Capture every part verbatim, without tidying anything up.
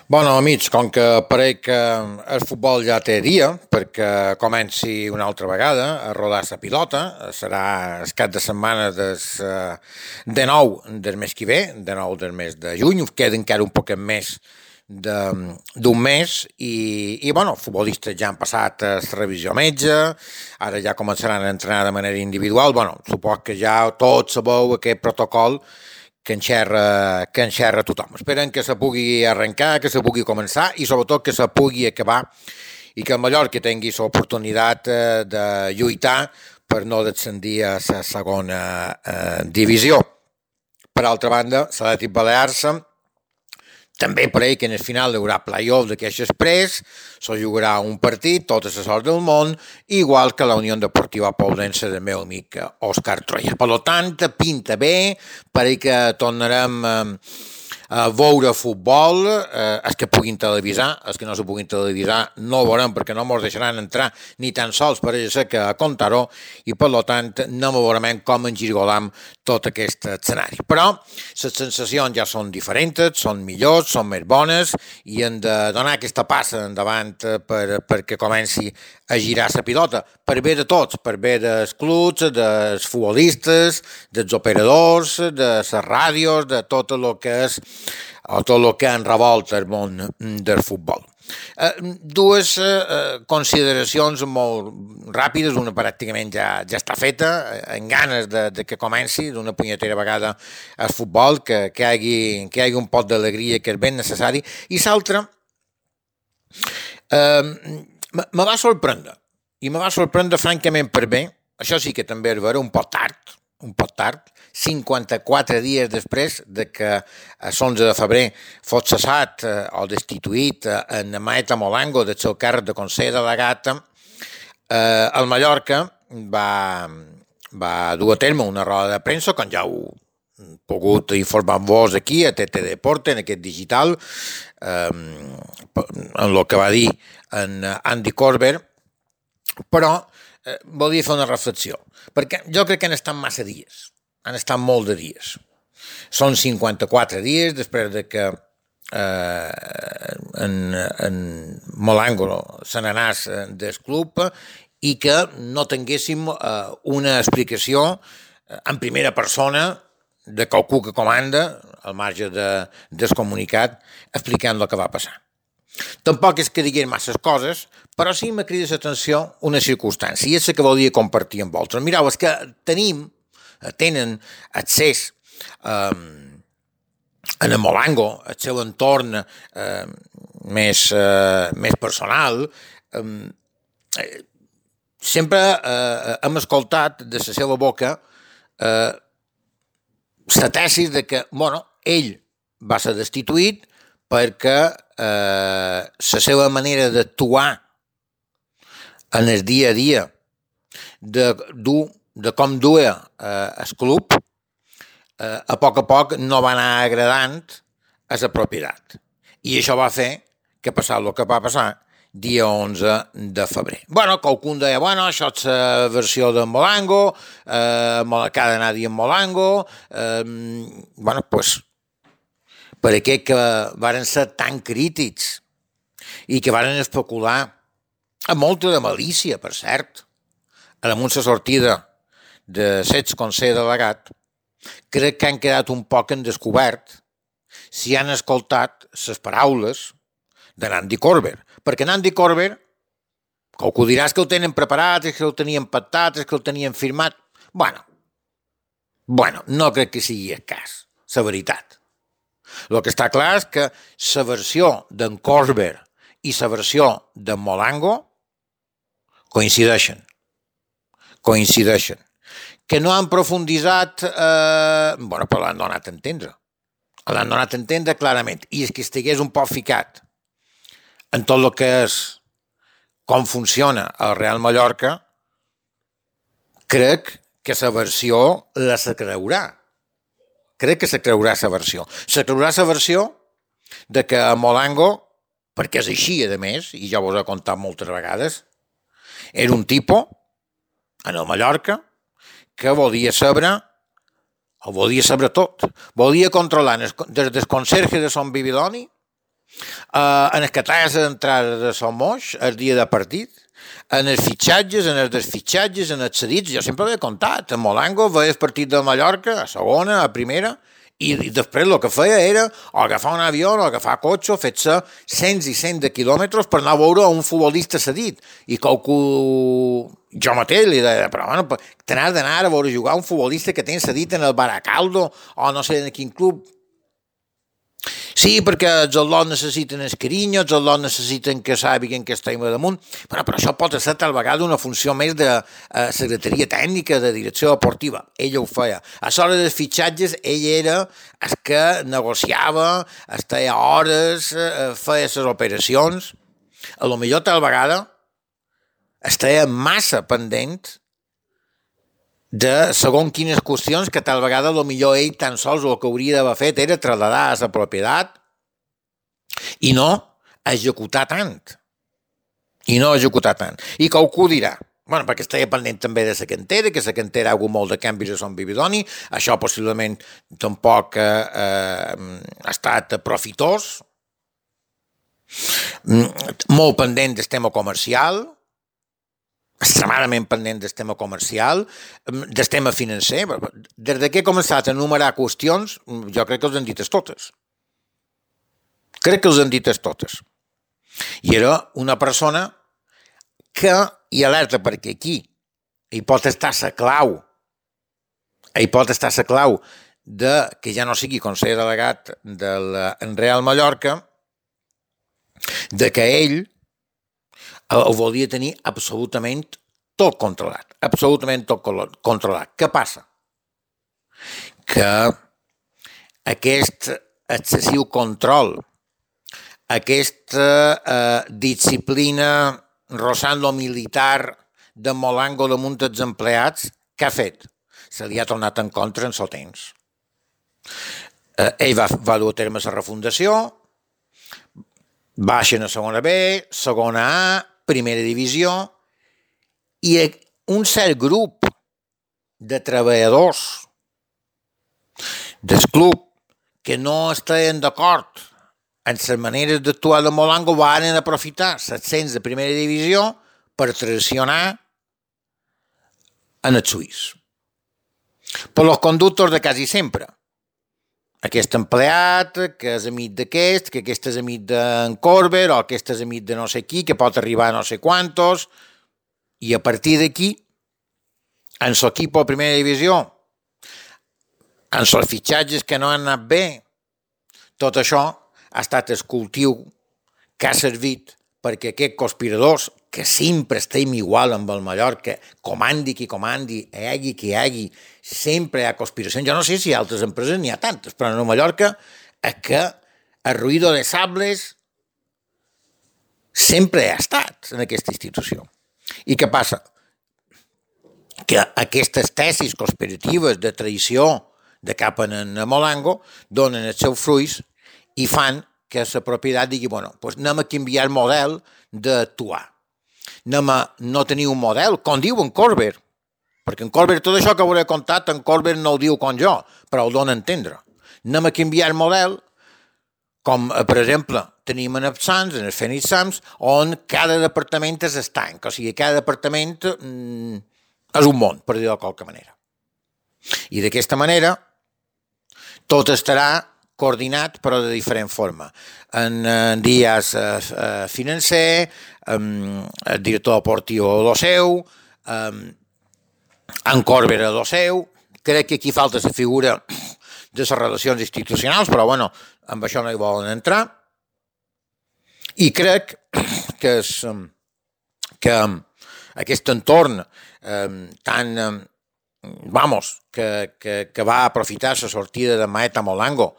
Bueno, amics, com que pareix que el futbol ja té dia, perquè comenci una altra vegada a rodar la pilota, serà el cap de setmana des, eh, de nou del mes que ve, de nou del mes de juny, queda encara un poquet més de- d'un mes i, i bueno, els futbolistes ja han passat la revisió metge, ara ja començaran a entrenar de manera individual, bueno, supos que ja tots sabeu aquest protocol que enxerra, que enxerra tothom. Esperen que se pugui arrencar, que se pugui començar i sobretot que se pugui acabar i que el Mallorca tingui l'oportunitat eh, de lluitar per no descendir a la segona eh, divisió. Per altra banda, l'Atlètic Balears també per ell que en el final hi haurà play-off d'aquest express, se jugarà un partit, tota la sort del món, igual que la Unió Deportiva Poblense del meu amic Òscar Troia. Per tant, pinta bé, per ell que tornarem a veure futbol, eh, els que puguin televisar, els que no se puguin televisar no ho veurem perquè no ens deixaran entrar ni tan sols per ella que a comptar-ho i per tant no veurem com engirgolam tot aquest escenari. Però les sensacions ja són diferents, són millors, són més bones i hem de donar aquesta passa endavant per, perquè comenci a girar la pilota, per bé de tots, per bé dels clubs, dels futbolistes, dels operadors, de les ràdios, de tot el que és o tot el que enrevolta el món del futbol. Eh, dues eh, consideracions molt ràpides, una pràcticament ja, ja està feta, en ganes de, de que comenci d'una punyetera vegada el futbol, que, que, hi hagi, que hi hagi un pot d'alegria que és ben necessari, i l'altra eh, me va sorprendre, i me va sorprendre francament per bé, això sí que també és vera, un pot tard, un pot tard, cinquanta-quatre dies després de que l'onze de febrer fos cessat eh, o destituït eh, en Maeta Molango del seu càrrec de Consell Delegat, eh, el Mallorca va, va dur a terme una roda de premsa, com ja heu pogut informar-vos aquí a T T Deporte, en aquest digital, eh, en el que va dir en Andy Korver, però eh, volia fer una reflexió, perquè jo crec que han estat massa dies, han estat molt de dies. Són cinquanta-quatre dies després de que eh, en, en Molango se n'anàs del club i que no tinguéssim eh, una explicació en primera persona de qualcú que comanda, al marge de, del comunicat, explicant el que va passar. Tampoc és que diguin masses coses, però sí m'ha cridat l'atenció una circumstància, i és la que volia compartir amb vosaltres. Mireu, és que tenim, tenen accés eh, en el Molango, el seu entorn eh, més, eh, més personal, eh, sempre eh, hem escoltat de la seva boca eh, la tesi de que, bueno, ell va ser destituït perquè eh, la seva manera d'actuar en el dia a dia, de, dur, de com duia eh, el club, eh, a poc a poc no va anar agradant a la propietat. I això va fer que passar el que va passar dia onze de febrer. Bueno, qualcú deia, bueno, això és la versió de Molango, eh, que ha d'anar dient Molango, eh, bueno, doncs, pues, per aquells que varen ser tan crítics i que varen especular amb molta de malícia, per cert, a la la sortida de l'ex-consell delegat, crec que han quedat un poc en descobert si han escoltat les paraules de Andy Korver, perquè Andy Korver, qualcú diràs que ho tenen preparat, és que ho tenien pactat, és que ho tenien firmat, bueno, bueno, no crec que sigui el cas, la veritat. El que està clar és que la versió d'en Korver i la versió d'en Molango coincideixen. Coincideixen. Que no han profunditzat, eh, bueno, però l'han donat a entendre. L'han donat a entendre clarament. I és que estigués un poc ficat en tot el que és com funciona el Real Mallorca, crec que la versió la se creurà. Crec que se creurà la versió. Se creurà la versió de que a Molango, perquè és així, a més, i ja vos he contat moltes vegades, era un tipus, en el Mallorca, que volia saber, o volia saber tot. Volia controlar des del conserge de Son Bibiloni Uh, en el que tras d'entrada de Somos, el dia de partit, en els fitxatges, en els desfitxatges, en els cedits, jo sempre ho he contat. En Molango veia el partit de Mallorca, a segona, a primera, i, i després el que feia era o agafar un avió o agafar cotxe, fer-se cents i cents de quilòmetres per anar a veure un futbolista cedit. I qualcú... Jo mateix li deia, però bueno, t'has d'anar a veure jugar un futbolista que tens cedit en el Baracaldo o no sé en quin club. Sí, perquè els al·lots necessiten el carinyo, els al·lots necessiten que sàpiguen que estem damunt, però, però això pot ser tal vegada una funció més de eh, secretaria tècnica, de direcció deportiva. Ella ho feia. A l'hora dels fitxatges, ell era el que negociava, estava hores, eh, feia les operacions. A lo millor tal vegada estava massa pendent de segons quines qüestions que tal vegada potser ell tan sols el que hauria d'haver fet era traslladar a la propietat i no executar tant. I no executar tant. I qualcú dirà, bueno, perquè estava pendent també de la cantera, que la cantera ha hagut molt de canvis a Son Vividoni, això possiblement tampoc eh, eh, ha estat profitós, molt pendent del tema comercial, extremadament pendent del tema comercial, del tema financer. Des que he començat a enumerar qüestions, jo crec que els han dites totes. Crec que els han dites totes. I era una persona que, i alerta perquè aquí hi pot estar la clau, hi pot estar la clau de que ja no sigui conseller delegat del Real Mallorca, de que ell ho volia tenir absolutament tot controlat, absolutament tot controlat. Què passa? Que aquest excessiu control, aquesta eh, disciplina rossant lo militar de Molango damunt dels empleats, què ha fet? Se li ha tornat en contra en el temps. Eh, ell va, va dur a terme la refundació, baixen a segona B, segona A, primera divisió, i un cert grup de treballadors del club que no estaven d'acord en les maneres d'actuar de Molango van aprofitar set-cents de primera divisió per traicionar en el suís. Per los conductos de quasi sempre. Aquest empleat, que és amic d'aquest, que aquest és amic d'en Corber, o aquest és amic de no sé qui, que pot arribar a no sé quantos, i a partir d'aquí, en l'equip a primera divisió, en els fitxatges que no han anat bé, tot això ha estat el cultiu que ha servit perquè aquests conspiradors, que sempre estem igual amb el Mallorca, comandi qui comandi, hi hagi qui hi hagi, sempre hi ha conspiracions. Jo no sé si a altres empreses n'hi ha tantes, però en el Mallorca és que el ruïdo de sables sempre ha estat en aquesta institució. I què passa? Que aquestes tesis conspiratives de traïció de cap en Molango donen els seus fruits i fan que la propietat digui, bueno, doncs anem a canviar el model d'actuar. Anem a no tenir un model, com diu en Corber, perquè en Corber, tot això que hauré contat, en Corber no ho diu com jo, però ho dona a entendre. Anem a canviar el model, com, per exemple, tenim en els Sants, en els Phoenix Suns, on cada departament és estanc, o sigui, cada departament mm, és un món, per dir-ho de qualque manera. I d'aquesta manera, tot estarà coordinat, però de diferent forma. En, en dies eh, financer, um, el director deportiu a lo seu, um, en Corber a lo seu, crec que aquí falta la figura de les relacions institucionals, però bueno, amb això no hi volen entrar. I crec que, és, que aquest entorn eh, tan, eh, vamos, que, que, que va aprofitar la sortida de Maeta Molango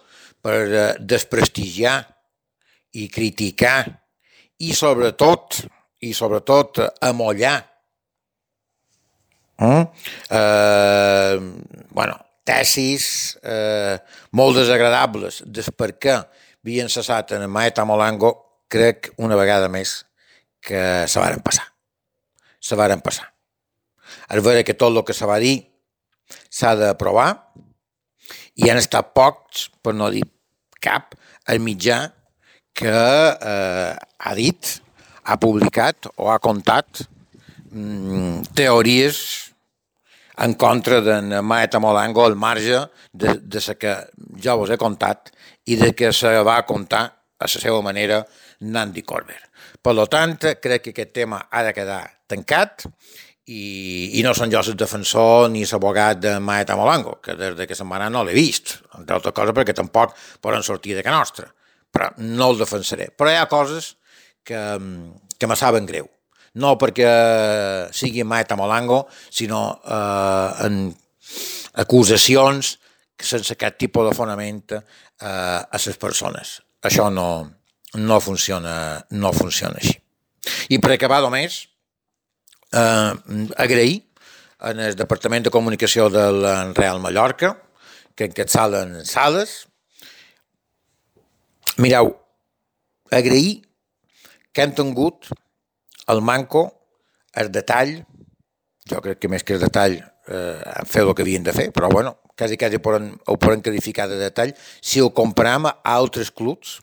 per eh, desprestigiar i criticar i sobretot, i sobretot amollar mm? eh, bueno, tesis eh, molt desagradables des per què havien cessat en Maeta Molango, crec una vegada més que se varen passar. Se varen passar. És vera que tot el que se va dir s'ha d'aprovar i han estat pocs, per no dir cap, al mitjà que eh, ha dit, ha publicat o ha contat mm, teories en contra d'en Maeta Molango al marge de, de la que jo vos he contat i de que se va contar a la seva manera Nandi Corbett. Per tant, crec que aquest tema ha de quedar tancat i, i no són jo el defensor ni l'abogat de Maeta Molango, que des que se'n va anar no l'he vist, entre altres coses perquè tampoc poden sortir de casa nostra, però no el defensaré. Però hi ha coses que, que me saben greu. No perquè sigui Maeta Molango, sinó eh, en acusacions sense cap tipus de fonament eh, a les persones. Això no, no, funciona, no funciona així. I per acabar només, eh, agrair en el Departament de Comunicació del Real Mallorca, que encapçalen Sales. Mireu, agrair que han tingut el manco, el detall, jo crec que més que el detall eh, han fet el que havien de fer, però bueno, quasi quasi poden, ho poden qualificar de detall, si ho comparam a altres clubs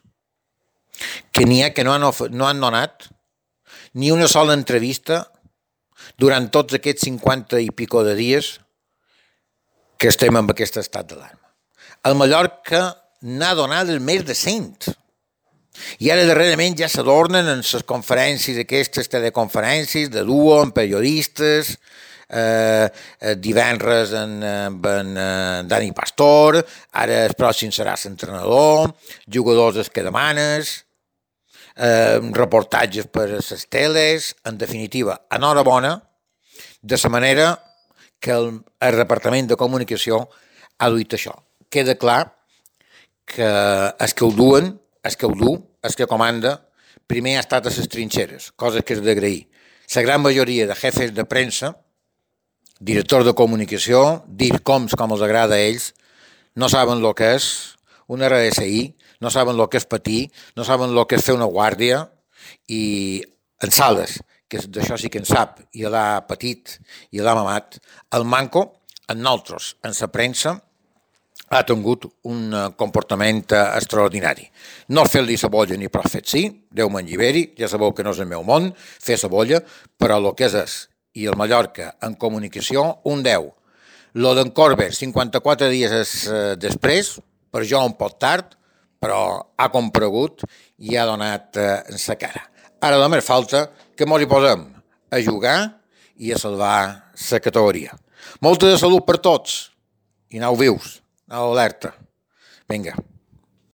que n'hi ha que no han, no han donat ni una sola entrevista durant tots aquests cinquanta i pico de dies que estem en aquest estat d'alarma. El Mallorca n'ha donat més de cent. I ara darrerament ja s'adornen en les conferències, aquestes teleconferències de duo amb periodistes, eh, divendres en, en, en Dani Pastor, ara el pròxim serà l'entrenador, jugadors els que demanes, eh, reportatges per a les teles, en definitiva, enhorabona, de la manera que el, el Departament de Comunicació ha duit això. Queda clar que els que ho duen, el que ho du, el que comanda, primer ha estat a les trinxeres, coses que és d'agrair. La gran majoria de jefes de premsa, directors de comunicació, dircoms com els agrada a ells, no saben el que és una R S I, no saben el que és patir, no saben el que és fer una guàrdia, i en Sales, que d'això sí que en sap, i l'ha patit, i l'ha mamat, el manco, en nosaltres, en la premsa, ha tingut un comportament extraordinari. No fer-li cebolla ni prou fet sí, Déu me'n lliberi, ja sabeu que no és el meu món, fer cebolla, però el que és és, i el Mallorca en comunicació, un deu. Lo d'en Corbett, cinquanta-quatre dies després, per jo un poc tard, però ha comparegut i ha donat en sa cara. Ara només falta que mos hi posem a jugar i a salvar la categoria. Molta de salut per tots i aneu vius. Aneu alerta. Vinga.